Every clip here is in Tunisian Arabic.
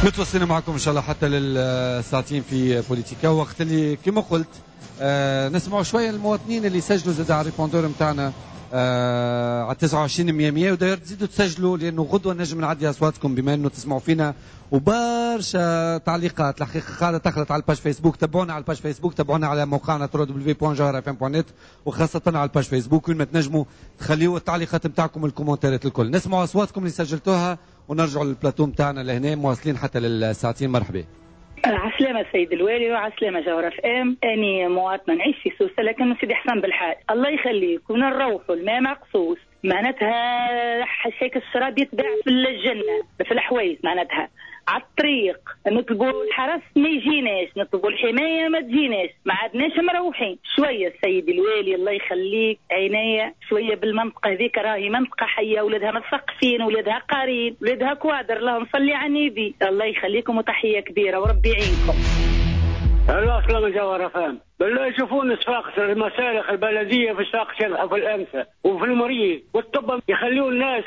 متواصلين معكم ان شاء الله حتى للساعتين في بوليتيكا. وقت اللي كما قلت نسمعوا شوية المواطنين اللي سجلوا زاد على ال répondeur نتاعنا على 29 100 100، وداير تزيدوا تسجلوا لانه غدوه نجم نعدي اصواتكم بما انه تسمعوا فينا. وبرشا تعليقات الحقيقة قاعدة تخلط على ال page فيسبوك، تابعونا على ال page فيسبوك، تابعونا على موقعنا www.jawharafm.net، وخاصة على ال page فيسبوك وين ما تنجموا تخليوا التعليقات نتاعكم وال commentaires الكل. نسمعوا اصواتكم اللي سجلتوها ونرجعوا للبلاتو نتاعنا لهنا مواصلين حتى للساعتين. مرحبا. عسلامة سيد الوالي وعسلامة جوهرة اف ام. اني مواطنة نعيش في سوسة لكن سيدي حسن بالحاج الله يخليك ونروحوا الماء مقصوص، معناتها حشاك الشراب يتباع في الجنة في الحوايج، معناتها على الطريق نطلبوا الحرس ما يجيناش، نطلبوا الحماية ما تجيناش، ما عادناش مروحين. شوية السيد الوالي الله يخليك عينيا شوية بالمنطقة هذيك، راهي منطقة حيه، ولادها مثقفين، ولادها قارين، ولادها كوادر، اللهم صلي على النبي. الله يخليكم وتحية كبيرة وربي يعينكم. السلام جوهرة فهم بالله يشوفون صفاقس المسالخ البلدية في صفاقس يذبحوا في الانفه وفي المريض والطب، يخليوا الناس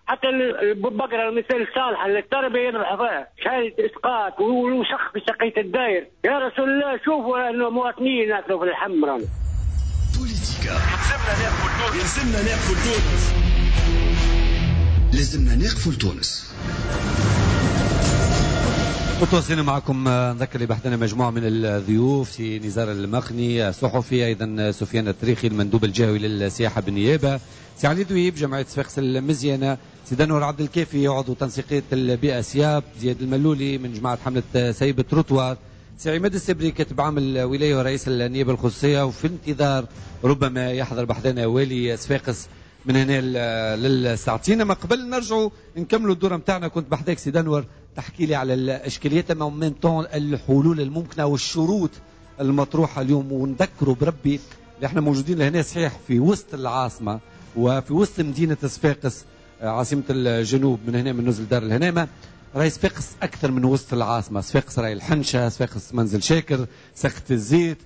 حتى البقرة المثال الصالحة للتربية يذبحوا فيها، شهادة اسقاط ووسخ في سقيه الداير. يا رسول الله شوفوا انه مواطنين ياكلوا في اللحم. رانا بوليتيكا لازمنا ناقفوا لتونس، لازمنا ناقفوا لتونس. متواصلين معكم، نذكر اللي بحثنا مجموعة من الضيوف، سي نزار المخني الصحفي، أيضا سفيان التريخي المندوب الجهوي للسياحة بالنيابة، سي علي ذويب جمعية صفاقس المزيانة، سي دانور عبد الكافي عضو تنسيقية البيئة سياب، زياد الملولي من جماعة حملة سيب التروتوار، سي عماد السبري كاتب عام الولاية ورئيس النيابة الخصوصية، وفي انتظار ربما يحضر بحثنا والي صفاقس من هنا للساعتين. اما قبل نرجعوا نكملوا الدورة نتاعنا، كنت بحذاك سي دانور تحكي لي على الاشكاليات اما même temps الحلول الممكنة والشروط المطروحة اليوم. ونذكروا بربي اللي احنا موجودين لهنا صحيح في وسط العاصمة وفي وسط مدينة صفاقس عاصمة الجنوب، من هنا من نزل دار الهنامه، راهي صفاقس اكثر من وسط العاصمة. صفاقس راهي الحنشه، صفاقس منزل شاكر، سخت الزيت،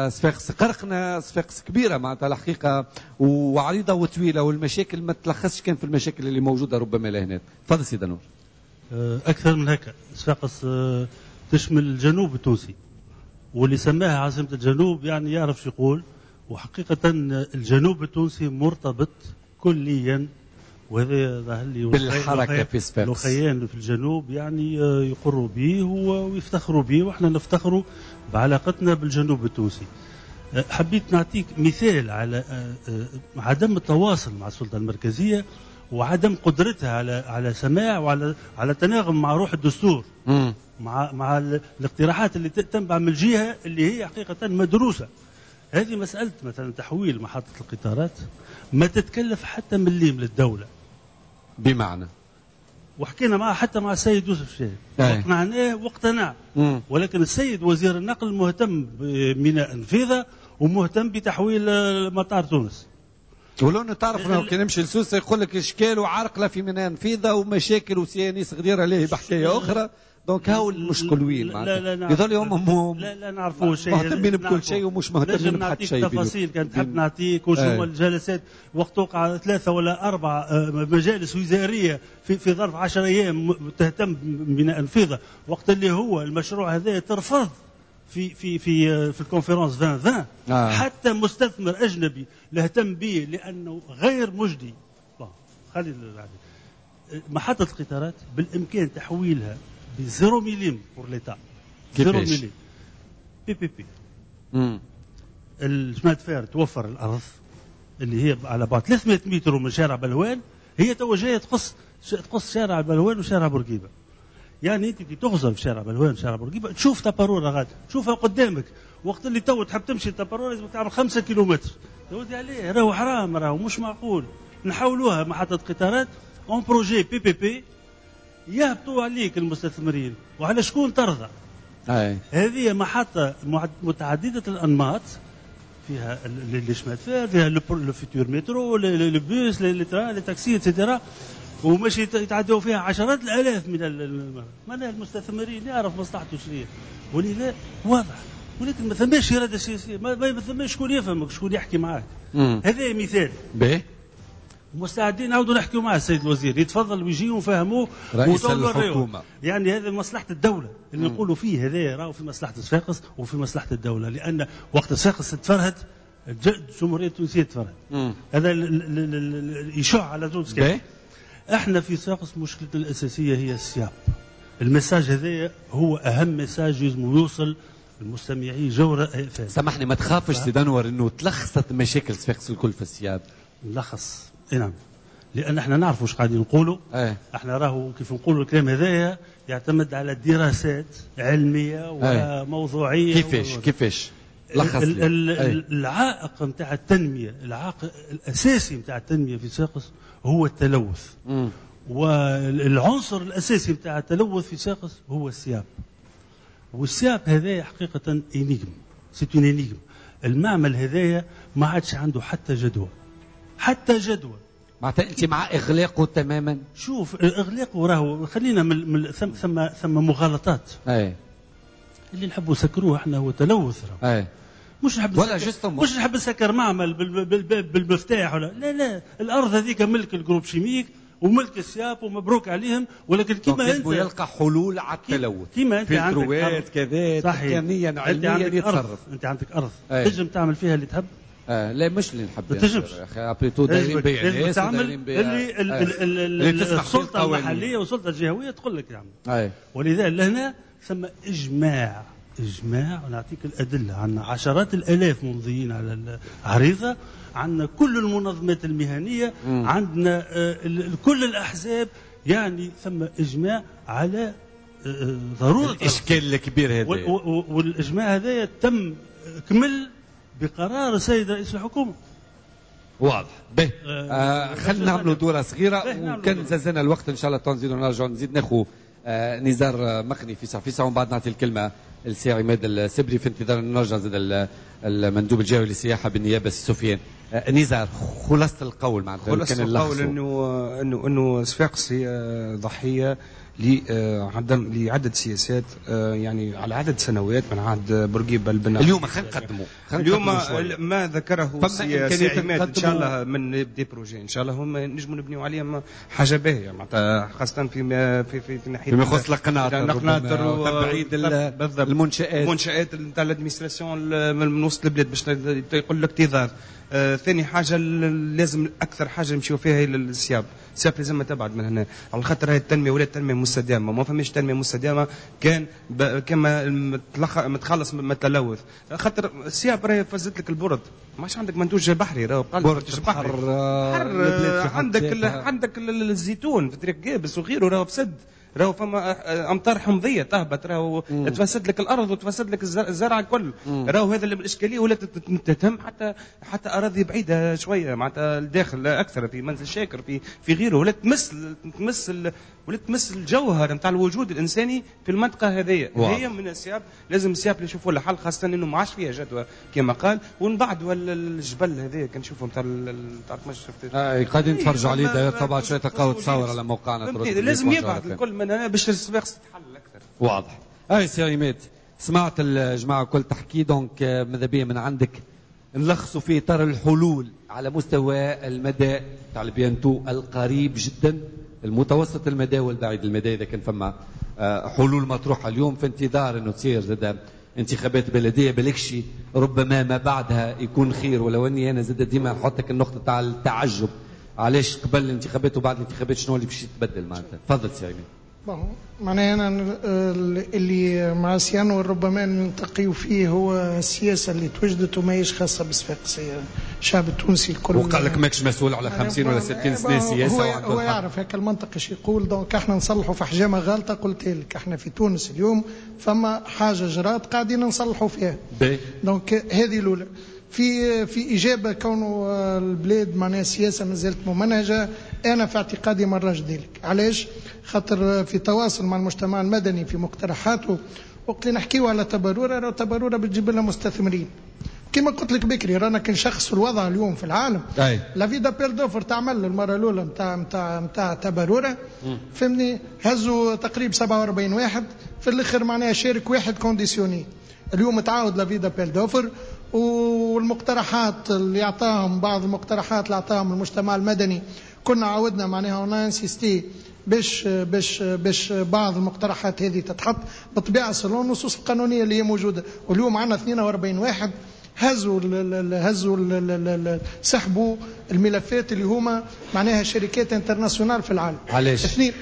صفاقس قرقنة، صفاقس كبيرة معناتها الحقيقة وعريضة وطويلة، والمشاكل ما تلخصش كان في المشاكل اللي موجودة ربما لهنا. تفضل سيدي نور. أكثر من هكا، صفاقس تشمل الجنوب التونسي، واللي سماها عاصمة الجنوب يعني يعرف شو يقول. وحقيقة الجنوب التونسي مرتبط كليا، وهذا ظهر لي بالحركة في صفاقس. الأخيان في الجنوب يعني يقروا به ويفتخروا به، واحنا نفتخروا بعلاقتنا بالجنوب التونسي. حبيت نعطيك مثال على عدم التواصل مع السلطة المركزية وعدم قدرتها على سماع وعلى تناغم مع روح الدستور، مع الاقتراحات اللي تنبع من الجهة اللي هي حقيقة مدروسة. هذه مسألة مثلا تحويل محطة القطارات ما تتكلف حتى مليم للدولة، بمعنى وحكينا معه حتى مع السيد يوسف شاهد واقنعناه واقتنع، ولكن السيد وزير النقل مهتم بميناء نفيذة ومهتم بتحويل مطار تونس. ولو انه تعرف انه كي نمشي لسوسه يقول لك اشكال وعرقله في ميناء نفيذه ومشاكل وسيانيس غدير عليه بحكاية اخرى. donc هاو المشكل وين معناتها يظل هم لا نعرفوا شيء، مهتمين بكل شيء ومش مهتمين بحتى شيء. تفاصيل كان تحب نعطيك وشو الجلسات وقت وقع 3 ولا 4 مجالس وزارية في ظرف 10 ايام تهتم بميناء نفيذه، وقت اللي هو المشروع هذا ترفض في في في في ال conférence 2020. حتى مستثمر اجنبي لا اهتم به لانه غير مجدي. خلي محطة القطارات بالامكان تحويلها ب zéro مليم pour l'État، zéro مليم PPP. ال chemin de fer توفر الارض اللي هي على بعد 300 متر من شارع بلوان، هي تو جاية تقص شارع بلوان وشارع بورقيبة. يعني انت كي تغزر في شارع بلوان وشارع بورقيبة تشوف تباروره غادي، تشوفها قدامك. وقت اللي تو تحب تمشي لتباروره لازم تعمل 5 كيلومتر. يا ودي عليه راهو حرام، راهو مش معقول. نحولوها محطة قطارات en projet PPP، يهبطوا عليك المستثمرين وعلى شكون ترضى. هذه محطة متعددة الأنماط، فيها les chemins de fer، فيها le futur métro، les bus، les trains، les taxis et cetera، وماشي يتعدوا فيها عشرات الآلاف من المستثمرين. يعرف مصلحته شنو، ولذا واضح. ولكن ما ثماش إرادة سياسية، ما ثماش شكون يفهمك، شكون يحكي معاك. هذا مثال. باهي. ومستعدين نعاودوا نحكيوا مع السيد الوزير، يتفضل ويجي ونفهموه رئيس الحكومة. يعني هذا مصلحة الدولة اللي نقولوا فيه، هذا راهو في مصلحة صفاقس وفي مصلحة الدولة، لان وقت صفاقس تفرهد الجمهورية التونسية تفرهد. هذا يشع على تونس كامل. احنا في صفاقس مشكلتنا الاساسية هي ال SIAP. ال message هذا هو اهم message يلزم يوصل المستمعين جوهرة FM. سامحني، ما تخافش سيد انور انه تلخصت مشاكل صفاقس الكل في ال SIAP؟ نلخص، اي نعم، لان احنا نعرفوا واش قاعدين نقولوا. احنا راهو كيف نقولوا الكلام هذايا يعتمد على دراسات علمية وموضوعيه. كيفاش لخص لي العائق نتاع التنميه، العائق الاساسي نتاع التنمية في صفاقس هو التلوث. والعنصر الاساسي نتاع التلوث في صفاقس هو ال SIAP. وال SIAP هذايا حقيقة énigme، c'est une énigme. المعمل هذايا ما عادش عنده حتى جدوى، حتى جدوى. معناتها انت مع اغلاقه تماما؟ شوف، اغلاقه راهو خلينا من ثم مغالطات. اللي نحبوا نسكروه احنا هو تلوث راهو. مش نحب ولا justement مش نحب نسكر معمل بالمفتاح ولا لا لا، الارض هذيك ملك ال groupe chimique وملك ال SIAP ومبروك عليهم، ولكن كما انت يلقى حلول على التلوث، كما انت عندك كذا تقنيا علميا يتصرف. انت عندك ارض تنجم تعمل فيها اللي تحب. لا مش اللي نحب، ما تنجمش après tout دايرين بيع ناس، تعمل اللي السلطة المحلية والسلطة الجهوية تقول لك تعمل. ولذا لهنا ثم اجماع، اجماع، ونعطيك الادلة، عندنا عشرات الالاف ممضيين على العريضة، عندنا كل المنظمات المهنية، عندنا كل الاحزاب، يعني ثم اجماع على ضرورة الاشكال الكبير هذا. والاجماع هذا تم كمل بقرار السيد رئيس الحكومة. واضح. به خلينا نعملوا دوره صغيرة، وكان زازنا الوقت ان شاء الله تنزيدوا نرجعوا نزيد ناخذ نزار مقني في ساعة ومن بعد نعطي الكلمة لسي عماد السبري في انتظار نرجع زاد المندوب الجهوي للسياحة بالنيابة سفيان. نزار، خلاصه القول معناتها؟ خلاصه القول انه صفاقس هي ضحية لعدم لعدة سياسات، يعني على عدد سنوات من عهد بورقيبة البناء. اليوم خلينا نقدموا اليوم ما ذكره سي عماد ان شاء الله من des projets ان شاء الله هم نجموا نبنيو عليهم حاجة باهيه، معناتها خاصة في في في ناحية فيما يخص القناطر وتبعيد المنشآت نتاع l'administration من وسط البلاد باش يقول لك اكتظاظ. ثاني حاجة لازم اكثر حاجة نمشيو فيها هي ال SIAP. ال SIAP لازم تبعد من هنا على خاطر هي التنمية ولا التنمية مستدامة، ما فماش تنمية مستدامة كان كما متخلص من التلوث، خاطر ال SIAP راهي فزت لك ال port، ما عادش عندك منتوج بحري، راهو قال منتوج بحري. عندك الزيتون في طريق قابس وغيره راهو فسد، راهو فما امطار حمضيه تهبط، راهو تفسد لك الارض وتفسد لك الزرع الكل، راهو هذا الاشكالية ولا تتهم حتى اراضي بعيدة شوية معناتها الداخل اكثر في منزل شاكر في غيره، ولا تمس ولا تمس الجوهر نتاع الوجود الانساني في المنطقة هذه. هي من ال SIAP، لازم ال SIAP نشوفوا لها حل، خاصة انه ما عادش فيها جدوى كما قال. ومن بعد الجبل هذا كنشوفوا نتاع ما شفت قاعدين نتفرجوا عليه طبعا شوية تلقاو تصاور على موقعنا، لازم يبعد الكل من هنا باش الصفاقس تتحل اكثر. واضح. اي سي عماد، سمعت الجماعة الكل تحكي، donc ماذا بيا من عندك نلخصوا في اطار الحلول على مستوى المدى تاع ال bientôt القريب جدا، المتوسط المدى والبعيد المدى، اذا كان فما حلول مطروحة اليوم في انتظار انه تصير زاد انتخابات بلديه بالكشي ربما ما بعدها يكون خير، ولو اني انا زاد ديما نحطك النقطة تاع التعجب، علاش قبل الانتخابات وبعد الانتخابات شنو اللي باش يتبدل معناتها؟ تفضل سي عماد. معناها انا اللي مع سي انور ربما نلتقيو فيه هو السياسة اللي توجدت وماهيش خاصة بالصفاقسيه، الشعب التونسي الكل. وقال لك ماكش مسؤول على 50 ولا 60 سنة سياسة. هو يعرف هكا المنطق ايش يقول، donc احنا نصلحوا في حجامة غالطه. قلت لك احنا في تونس اليوم فما حاجة جرات قاعدين نصلحوا فيها. donc هذه الاولى. في إجابة كونه البلاد معناها السياسة ما زالت ممنهجة، أنا في اعتقادي ما نراش ذلك. علاش؟ خاطر في تواصل مع المجتمع المدني في مقترحاته وقت اللي نحكيو على تبرورة، راهو تبرورة بتجيب لنا مستثمرين. كما قلت لك بكري رانا كنشخص الوضع اليوم في العالم. l'avis d'appel d'offres تعمل المرة الاولى نتاع تبرورة، فهمني، هزوا تقريبا 47 واحد، في الاخر معناها شارك واحد conditionné. اليوم تعاود l'avis d'appel d'offres والمقترحات اللي اعطاهم، بعض المقترحات اللي اعطاهم المجتمع المدني كنا عودنا معناها on a insisté باش بعض المقترحات هذه تتحط بالطبيعة selon النصوص القانونية اللي هي موجودة. واليوم عندنا 42 واحد هزوا ال هزوا ال سحبوا الملفات اللي هما معناها شركات internationales في العالم. علاش؟ اثنين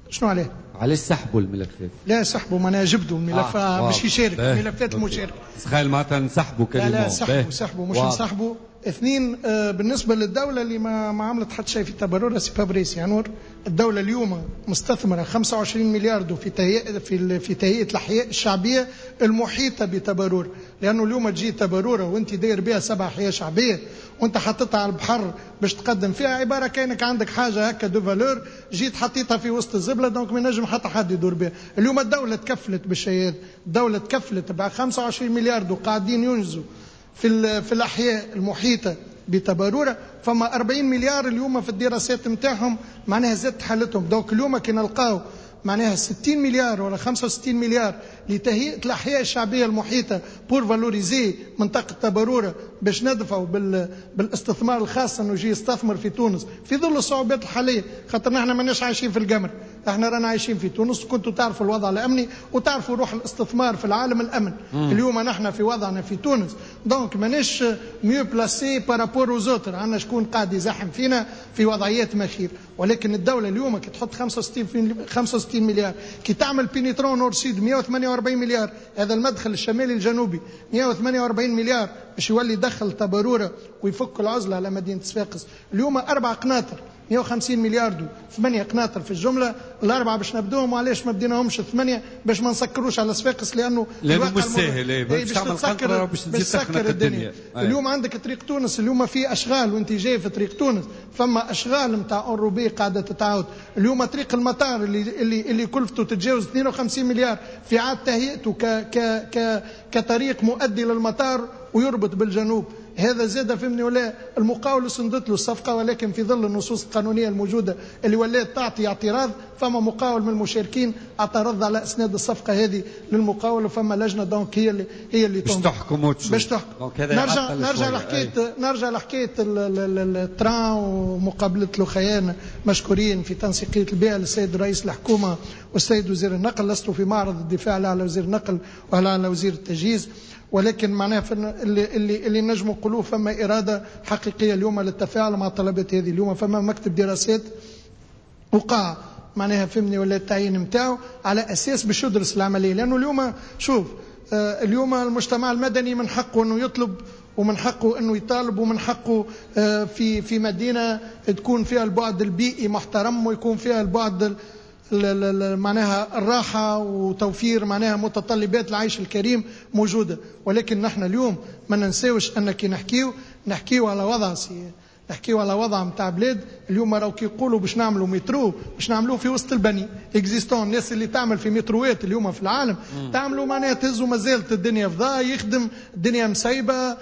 شنو عليه؟ علاش سحبوا الملفات؟ لا سحبوا معناها جبدوا الملف باش يشارك الملفات المشاركة. تخيل معناتها نسحبوا كلمة. لا سحبوا مش نسحبوا. اثنين بالنسبة للدولة اللي ما عملت حتى شيء في تبرورة c'est pas vrai سي انور. الدولة اليوم مستثمره 25 مليار في تهيئة في تهيئة الاحياء الشعبية المحيطة بتبرور، لانه اليوم تجي تبروره وانت داير بها 7 احياء شعبية وانت حطيتها على البحر باش تقدم فيها، عبارة كانك عندك حاجة هكا de valeur جيت حطيتها في وسط الزبله، donc ما ينجم حتى حد يدور بها. اليوم الدولة تكفلت بالشيء هذا، الدولة تكفلت ب 25 مليار وقاعدين ينجزوا في الاحياء المحيطة بتبروره. فما 40 مليار اليوم في الدراسات نتاعهم معناها زادت حالتهم. donc اليوم كي نلقاو معناها 60 مليار ولا 65 مليار لتهيئه الاحياء الشعبية المحيطة pour valoriser منطقة تبروره باش ندفعوا بالاستثمار الخاص انه يجي يستثمر في تونس في ظل الصعوبات الحالية، خاطر نحن ماناش عايشين في القمر، احنا رانا عايشين في تونس. كنتوا تعرفوا الوضع الامني وتعرفوا روح الاستثمار في العالم الامن. اليوم نحن في وضعنا في تونس donc ماناش mieux placés par rapport aux autres، عندنا شكون قاعد يزحم فينا في وضعيات مخير. ولكن الدولة اليوم كي تحط 65 مليار، كي تعمل pénétrant nord-sud 148 مليار، هذا المدخل الشمالي الجنوبي 148 مليار باش يولي دخل تبروره ويفك العزلة على مدينة صفاقس. اليوم 4 قناطر 150 مليار دو 8 قناطر في الجملة، الاربعة باش نبدوهم. وعلاش ما بديناهمش 8؟ باش ما نسكروش على صفاقس، لانه مش ساهل باش تعمل قنطرة باش تسكر الدنيا. اليوم عندك طريق تونس، اليوم في اشغال وانت جاي في طريق تونس فما اشغال نتاع enrobé قاعدة تتعاود. اليوم طريق المطار اللي كلفته تتجاوز 52 مليار في عاد تهيئته ك ك ك كطريق مؤدي للمطار ويربط بالجنوب. هذا زاد فهمني ولا المقاول سندت له الصفقة، ولكن في ظل النصوص القانونية الموجودة اللي ولات تعطي اعتراض، فما مقاول من المشاركين اعترض على اسناد الصفقة هذه للمقاول، وفما لجنة donc هي اللي باش تحكم وتشوف باش تحكم. نرجع لحكاية ال train ومقابله الخيان مشكورين في تنسيقيه البيئة للسيد رئيس الحكومة والسيد وزير النقل. لست في معرض الدفاع لا على وزير النقل ولا على وزير التجهيز، ولكن معناها اللي نجم نقولوه فما إرادة حقيقية اليوم للتفاعل مع الطلبات هذه. اليوم فما مكتب دراسات وقع معناها فهمني ولا التعيين نتاعو على أساس باش يدرس العملية، لأنه اليوم شوف اليوم المجتمع المدني من حقه أنه يطلب ومن حقه أنه يطالب ومن حقه في مدينة تكون فيها البعد البيئي محترم ويكون فيها البعد معناها الراحة وتوفير معناها متطلبات العيش الكريم موجودة. ولكن نحن اليوم ما ننساوش أن كي نحكيو على وضع نحكيو على وضع نتاع بلاد. اليوم راهو كي يقولوا باش نعملوا مترو باش نعملوه في وسط البني existant، الناس اللي تعمل في متروات اليوم في العالم تعملوا معناها تهزوا مازالت الدنيا فضاء، يخدم الدنيا مسيبه،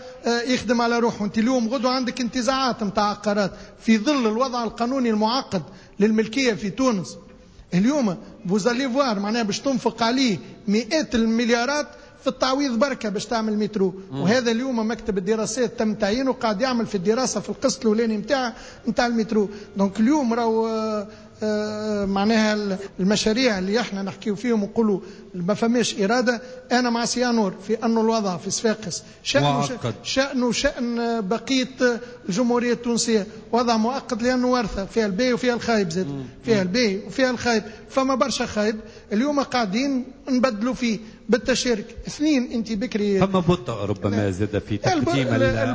يخدم على روحه. انت اليوم غدوه عندك انتزاعات نتاع عقارات في ظل الوضع القانوني المعقد للملكيه في تونس. اليوم vous allez voir معناها باش تنفق عليه مئات المليارات في التعويض بركة باش تعمل مترو. وهذا اليوم مكتب الدراسات تم تعيينه قاعد يعمل في الدراسة في القسط الاولاني نتاع المترو. donc اليوم راهو معناها المشاريع اللي احنا نحكيو فيهم ونقولوا ما فماش اراده. انا مع سيانور في انه الوضع في صفاقس شأنه شأن بقية الجمهورية التونسية، وضع مؤقت لانه ورثه فيها الباهي وفيها الخايب، زاد فيها الباهي وفيها الخايب، فما برشا خايب اليوم قاعدين نبدلوا فيه بالتشارك. اثنين انت بكري فما بطء ربما زاد في تقديم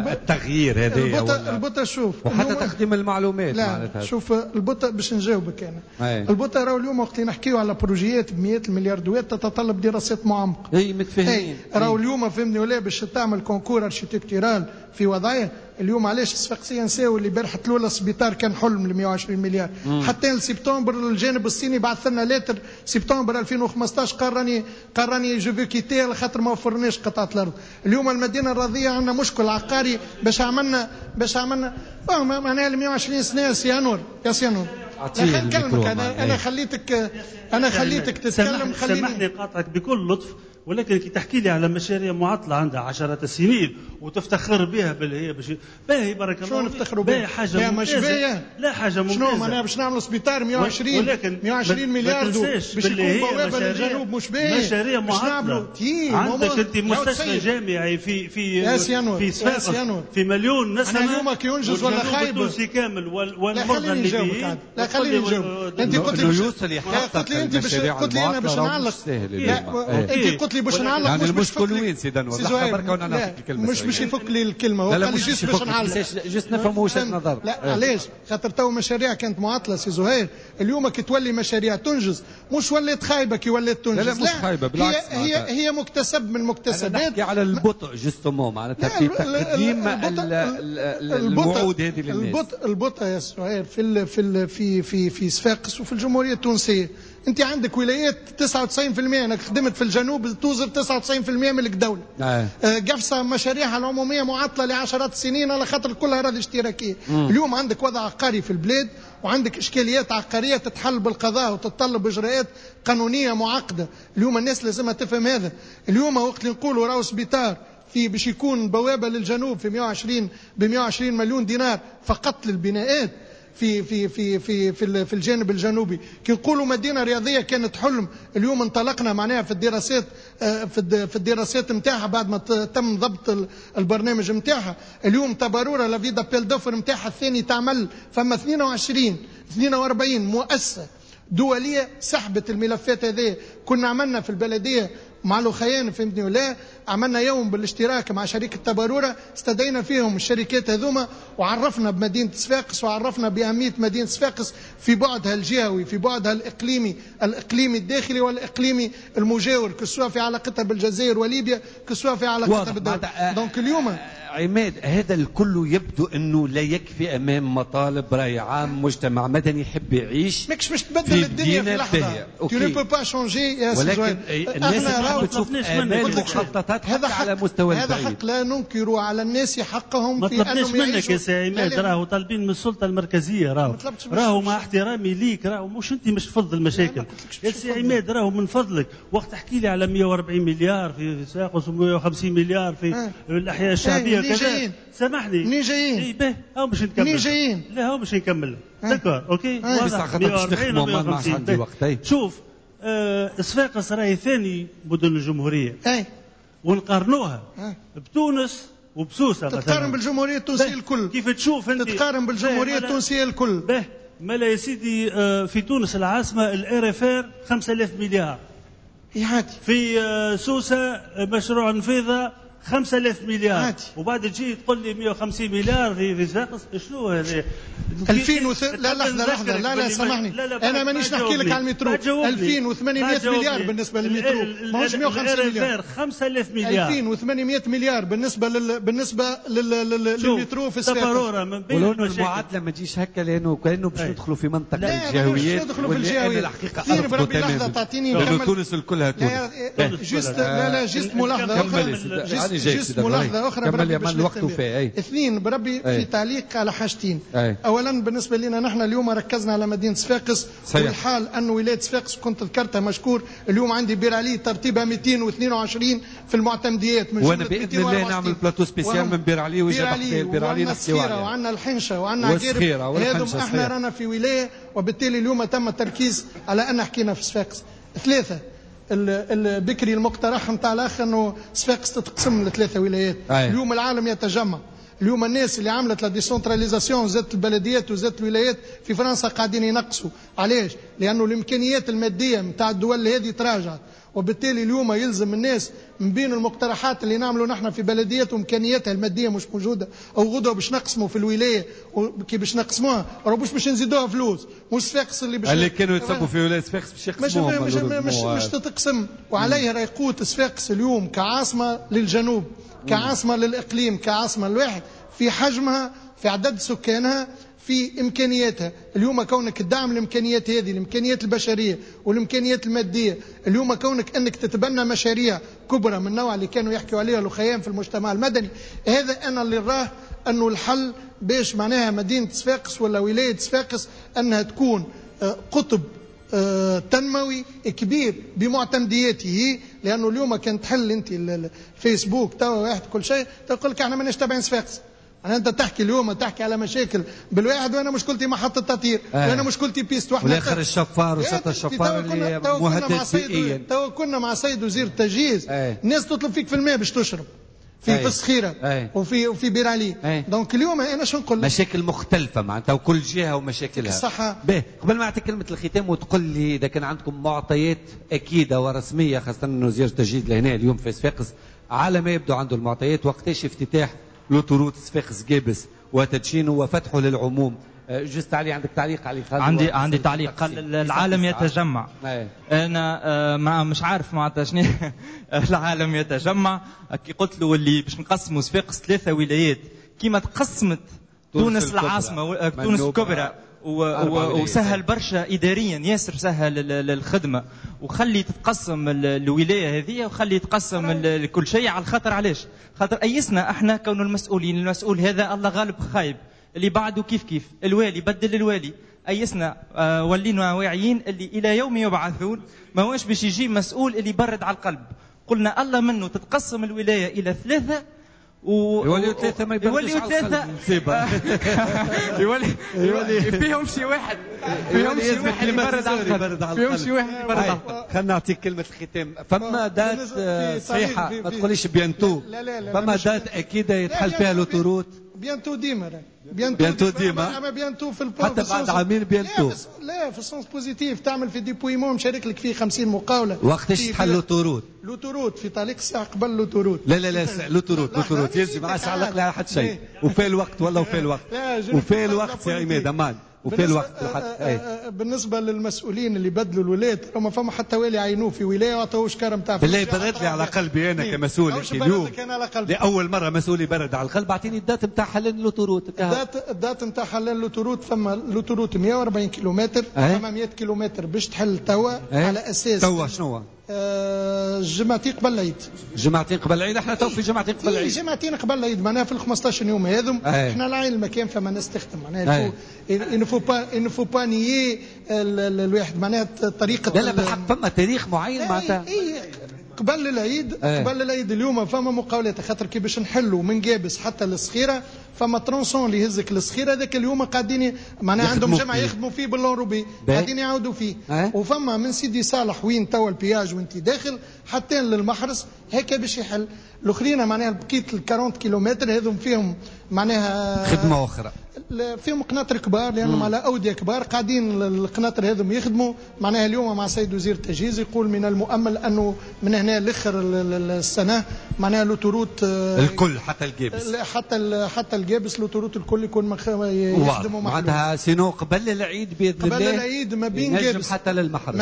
التغيير هذا البطء شوف وحتى تقديم المعلومات. لا شوف البطء باش نجاوبك انا. البطء راهو اليوم وقت نحكيو على بروجيات بمئات الملياردوات تتطلب دراسات معمقة. اي متفاهمين. راهو اليوم فهمني ولا باش تعمل concours architectural في وضعية اليوم. علاش الصفاقسيه نساو اللي بارحه الاولى السبيطار كان حلم ل 120 مليار. حتى لسبتمبر الجانب الصيني بعث لنا lettre سبتمبر 2015 قال راني je veux quitter على خاطر ما وفرناش قطعه الارض. اليوم المدينة الرياضية عندنا مشكل عقاري باش عملنا معناها ال 120 سنة سيانور يا سيانور. نكلمك انا خليتك انا خليتك تتكلم. خليني سامحني قاطعك بكل لطف، ولكن كي تحكي لي على مشاريع معطلة عندها عشرات السنين وتفتخر بها باللي هي باش باهي بارك الله. شنو نفتخروا بها؟ حاجة ممتازة. لا حاجة ممتازة. شنو معناها باش نعملوا سبيطار 120 مليار باش يكون بوابه للجنوب مش باهي؟ مشاريع معطلة. عندك انت مستشفى جامعي في في في صفاقس في مليون نسمه. انا اليوم كي ينجز ولا خايب التونسي كامل والمرضى الليبيين. لا خليني نجاوب. انت قلت لي قلت لي انت باش قلت لي انا باش نعلق. انت قلت لي باش نعلق. يعني المشكل وين سيدي انور؟ لحظة بركة وانا نعطيك الكلمة. مش باش يفك لي الكلمة، هو قال لي juste باش نعلق، juste نفهم وجهه نظر. لا علاش؟ خاطر تو مشاريع كانت معطلة سي زهير، اليوم كي تولي مشاريع تنجز مش ولات خايبة كي ولات تنجز. لا مش خايبة بالعكس، هي مكتسب من المكتسبات. نحكي على البطء justement معناتها في تقديم الوعود هذه للناس. البطء يا زهير في في في في في صفاقس وفي الجمهورية التونسية. انت عندك ولايات 99%، انا خدمت في الجنوب توزر 99% ملك دولة. قفصه مشاريعها العمومية معطلة لعشرات السنين على خاطر كلها اراضي اشتراكية. اليوم عندك وضع عقاري في البلاد وعندك اشكاليات عقارية تتحل بالقضاء وتتطلب اجراءات قانونية معقدة. اليوم الناس لازمها تفهم هذا. اليوم وقت اللي نقولوا راهو سبيطار في باش يكون بوابه للجنوب في 120 ب 120 مليون دينار فقط للبناءات في في في في في في الجانب الجنوبي. كي نقولوا مدينة رياضية كانت حلم، اليوم انطلقنا معناها في الدراسات في الدراسات نتاعها بعد ما تم ضبط البرنامج نتاعها. اليوم تباروره l'avis d'appel d'offres نتاعها الثاني تعمل، فما 42 مؤسسة دولية سحبت الملفات هذه. كنا عملنا في البلدية مع الأخيان فهمتني ولا، عملنا يوم بالاشتراك مع شركة تبارورة، استدينا فيهم الشركات هذوما وعرفنا بمدينة صفاقس وعرفنا بأهمية مدينة صفاقس في بعدها الجهوي، في بعدها الإقليمي، الإقليمي الداخلي والإقليمي المجاور، que ce soit في علاقتها بالجزائر وليبيا، que ce soit في علاقتها بالدولة. donc اليوم عماد هذا الكل يبدو انه لا يكفي امام مطالب راي عام، مجتمع مدني يحب يعيش. ماكش باش تبدل الدنيا في لحظة. Tu ne peux pas changer يا سي ولكن الناس تحب تشوف امال مخططات هذا على مستوى البعيد. هذا حق لا ننكر على الناس حقهم في انهم يعيشوا. ما طلبناش منك يا سي عماد، راهو طالبين من السلطة المركزية، راهو مع احترامي ليك، راهو مش انت مش تفض المشاكل يا سي عماد. راهو من فضلك وقت تحكي لي على 140 مليار في صفاقس و150 مليار في الاحياء الشعبية كذا، سامحني منين جايين؟ اي به هاو باش نكمل. منين جايين؟ لا هاو باش نكمل. d'accord OK واضح. خاطر باش نخدموا ما عندي وقت. شوف صفاقس راهي ثاني مدن الجمهورية. اي ونقارنوها بتونس وبسوسه مثلا. تتقارن بالجمهوريه التونسية الكل. كيف تشوف انت؟ تتقارن بالجمهوريه التونسية الكل. به مالا يا سيدي في تونس العاصمة ال RFR 5000 مليار. عادي. في سوسة مشروع نفيضه 5000 مليار. عادي. وبعد تجي تقول لي 150 مليار في صفاقس، شنو هذا؟ 2000 لا لحظة لحظة، لا لا سامحني، انا مانيش نحكي لك على المترو. 2800 مليار بالنسبة للمترو، ماهوش 150 مليار. 5000 مليار، 2800 مليار بالنسبة بالنسبة للمترو في صفاقس. ولو انه المعادلة ما تجيش هكا، لانه كانه باش ندخلوا في منطقة الجهويات. ندخلوا في الجهويات الحقيقة بربي لحظة تعطيني نكمل. تونس الكلها تونس. juste لا لا juste ملاحظة اخرى، juste ملاحظة اخرى بربي باش الوقت وفاء. اثنين بربي في تعليق على حاجتين. اولا بالنسبة لنا نحن اليوم ركزنا على مدينة صفاقس، والحال ان ولاية صفاقس كنت ذكرتها مشكور، اليوم عندي بير علي ترتيبها 222 في المعتمديات من وانا باذن الله نعمل plateau spécial من بير علي ويجي بير علي نحكيو عليه. وعندنا الحنشه وعندنا عقيرب، هذم احنا رانا في ولاية، وبالتالي اليوم تم التركيز على ان حكينا في صفاقس. ثلاثة البكري المقترح نتاع الاخ انه صفاقس تتقسم لثلاثة ولايات. اليوم العالم يتجمع، اليوم الناس اللي عملت la décentralisation زادت البلديات وزادت الولايات في فرنسا قاعدين ينقصوا. علاش؟ لانه الامكانيات المادية نتاع الدول هذه تراجعت، وبالتالي اليوم يلزم الناس من بين المقترحات اللي نعملوا نحن في بلديات وامكانياتها المادية مش موجودة، او غدوه باش نقسموا في الولاية، كي باش نقسموها راه باش نزيدوها فلوس، مش صفاقس اللي باش اللي كانوا يتصبوا في ولاية صفاقس باش يقسموها، مش تتقسم. وعليه راهي قوة صفاقس اليوم كعاصمه للجنوب، كعاصمه للاقليم، كعاصمه الواحد في حجمها، في عدد سكانها، في إمكانياتها. اليوم كونك الدعم الإمكانيات هذه، الإمكانيات البشرية والإمكانيات المادية، اليوم كونك أنك تتبنى مشاريع كبرى من النوع اللي كانوا يحكوا عليها الأخيان في المجتمع المدني، هذا أنا اللي راه أنه الحل باش معناها مدينة صفاقس ولا ولاية صفاقس أنها تكون قطب تنموي كبير بمعتمدياته. لانه اليوم كان تحل انت الفيسبوك توا واحد كل شيء تقول لك احنا ماناش تابعين صفاقس. انت تحكي اليوم تحكي على مشاكل بالواحد، وانا مشكلتي محطة تطهير، وانا مشكلتي piste، واحنا والاخر الشفار وشط الشفار اللي مهدد بيئيا. تو كنا مع سيد وزير التجهيز، الناس تطلب فيك في الماء باش تشرب في الصخيره وفي بير علي. donc اليوم انا شو نقول؟ مشاكل مختلفة معناتها وكل جهة ومشاكلها. الصحة. باهي، قبل ما اعطيك كلمة الختام وتقول لي اذا كان عندكم معطيات اكيدة ورسميه، خاصة انه وزير التجهيز لهنا اليوم في صفاقس على ما يبدو عنده المعطيات، وقتاش افتتاح l'autoroute صفاقس قابس وتدشينه وفتحه للعموم؟ juste علي، عندك تعليق علي خالد؟ عندي تعليق. قال العالم يتجمع. انا ما مش عارف معناتها شنو العالم يتجمع. كي قلت له اللي باش نقسموا صفاقس 3 ولايات كيما تقسمت تونس العاصمة، تونس الكبرى، وسهل برشا اداريا، ياسر سهل الخدمة، وخلي تتقسم الولاية هذه وخلي تقسم كل شيء على الخاطر. علاش؟ خاطر ايسنا احنا كون المسؤولين، المسؤول هذا الله غالب خايب، اللي بعده كيف كيف، الوالي بدل الوالي، ايسنا ولينا واعيين اللي الى يوم يبعثون ما هوش باش يجي مسؤول اللي يبرد على القلب. قلنا الله منه تتقسم الولاية الى 3 يوليو 3 ما يبردش على القلب، مصيبة. يولي فيهم شي واحد، فيهم شي واحد يبرد على القلب، فيهم شي واحد يبرد على القلب. خلينا نعطيك كلمة الختام. فما date صحيحة، ما تقوليش bientôt، فما date أكيدة يتحل فيها l'autoroute؟ bientôt ديما، bientôt ديما، اما bientôt في حتى بعد عامين bientôt. لا، في ال sens positif، تعمل في dépouillement مشارك لك فيه 50 مقاوله. وقتاش تحل l'autoroute؟ l'autoroute في طريق الساعة قبل l'autoroute. لا لا لا، l'autoroute l'autoroute يلزم ما عادش علق لي على حد شيء. وفي الوقت والله، وفي الوقت، وفي الوقت يا عماد امان، وفي الوقت. بالنسبة للمسؤولين اللي بدلوا الولايات، ما فما حتى والي عينوه في ولاية وعطوه شكاره نتاع. بالله برد لي على قلبي انا كمسؤول اليوم، لاول مرة مسؤول يبرد على القلب. اعطيني ال date نتاع حلان l'autoroute. ال date نتاع حلان l'autoroute، فما l'autoroute 140 كيلومتر، فما 100 كيلومتر باش تحل توا على اساس توا شنو؟ جمعتين قبل العيد. جمعتين قبل العيد، احنا تو في جمعتين قبل العيد. جمعتين قبل العيد معناها في ال 15 يوم هذم احنا العين المكان فما ناس تخدم معناها. il ne faut pas nier الواحد معناها طريقه. لا لا بالحق فما تاريخ معين معناتها. قبل العيد، قبل العيد اليوم فما مقاولات، خاطر كي باش نحلوا من قابس حتى للصخيره فما tronçon اللي يهزك للصخيره، هذاك اليوم قاعدين معناها عندهم جمعه يخدموا فيه بال enrobé، قاعدين يعاودوا فيه. وفما من سيدي صالح وين توا ال péage وانت داخل حتى للمحرس هكا باش يحل. الاخرين معناها بقية ال 40 كيلومتر هذم فيهم معناها خدمة اخرى، فيهم قناطر كبار لانهم على اوديه كبار قاعدين القناطر هذم يخدموا. معناها اليوم مع سيد وزير التجهيز يقول من المؤمل انه من هنا لاخر السنة معناها l'autoroute الكل حتى الجابس، حتى الجابس l'autoroute الكل يكون يخدموا معناتها sinon قبل العيد باذن الله، قبل العيد ما بين جابس حتى للمحرس،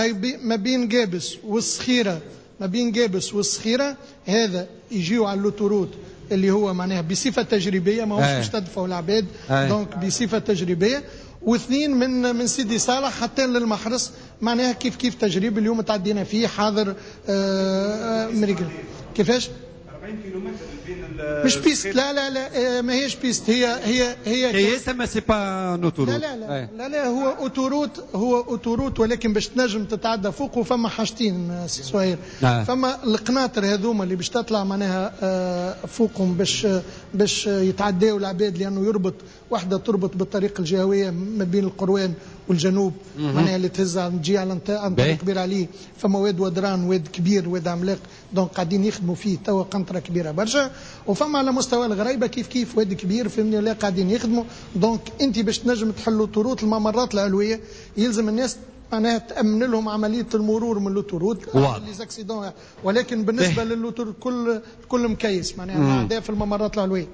ما بين جابس والصخيره، ما بين جابس والصخيره هذا يجيو على l'autoroute اللي هو معناها بصفة تجريبية، ماهوش باش تدفعوا العباد، donc بصفة تجريبية. واثنين من سيدي صالح حتى للمحرس معناها كيف كيف تجريب اليوم تعدينا فيه حاضر مريقل. كيفاش؟ 40 كيلومتر بين مش piste، لا لا لا ما هيش piste، هي هي هي هي mais c'est pas une autoroute. لا لا لا لا لا، هو autoroute، هو autoroute، ولكن باش تنجم تتعدى فوقه فما حاجتين سي سهير. فما القناطر هذوما اللي باش تطلع معناها فوقهم باش يتعداو العباد، لانه يربط واحدة تربط بالطريق الجهوية ما بين القروان والجنوب، معناها اللي تهز تجي على عن طريق كبير عليه. فما واد ودران، واد كبير، واد عملاق، donc قاعدين يخدموا فيه توا قنطرة كبيرة برشا. وفما على مستوى الغريبة كيف كيف واد كبير، فهمني ولا، قاعدين يخدموا. donc انت باش تنجم تحلوا l'autoroute الممرات العلوية يلزم الناس معناها تامن لهم عملية المرور من l'autoroute les accidents، ولكن بالنسبة لل l'autoroute كل مكيس معناها في الممرات العلوية.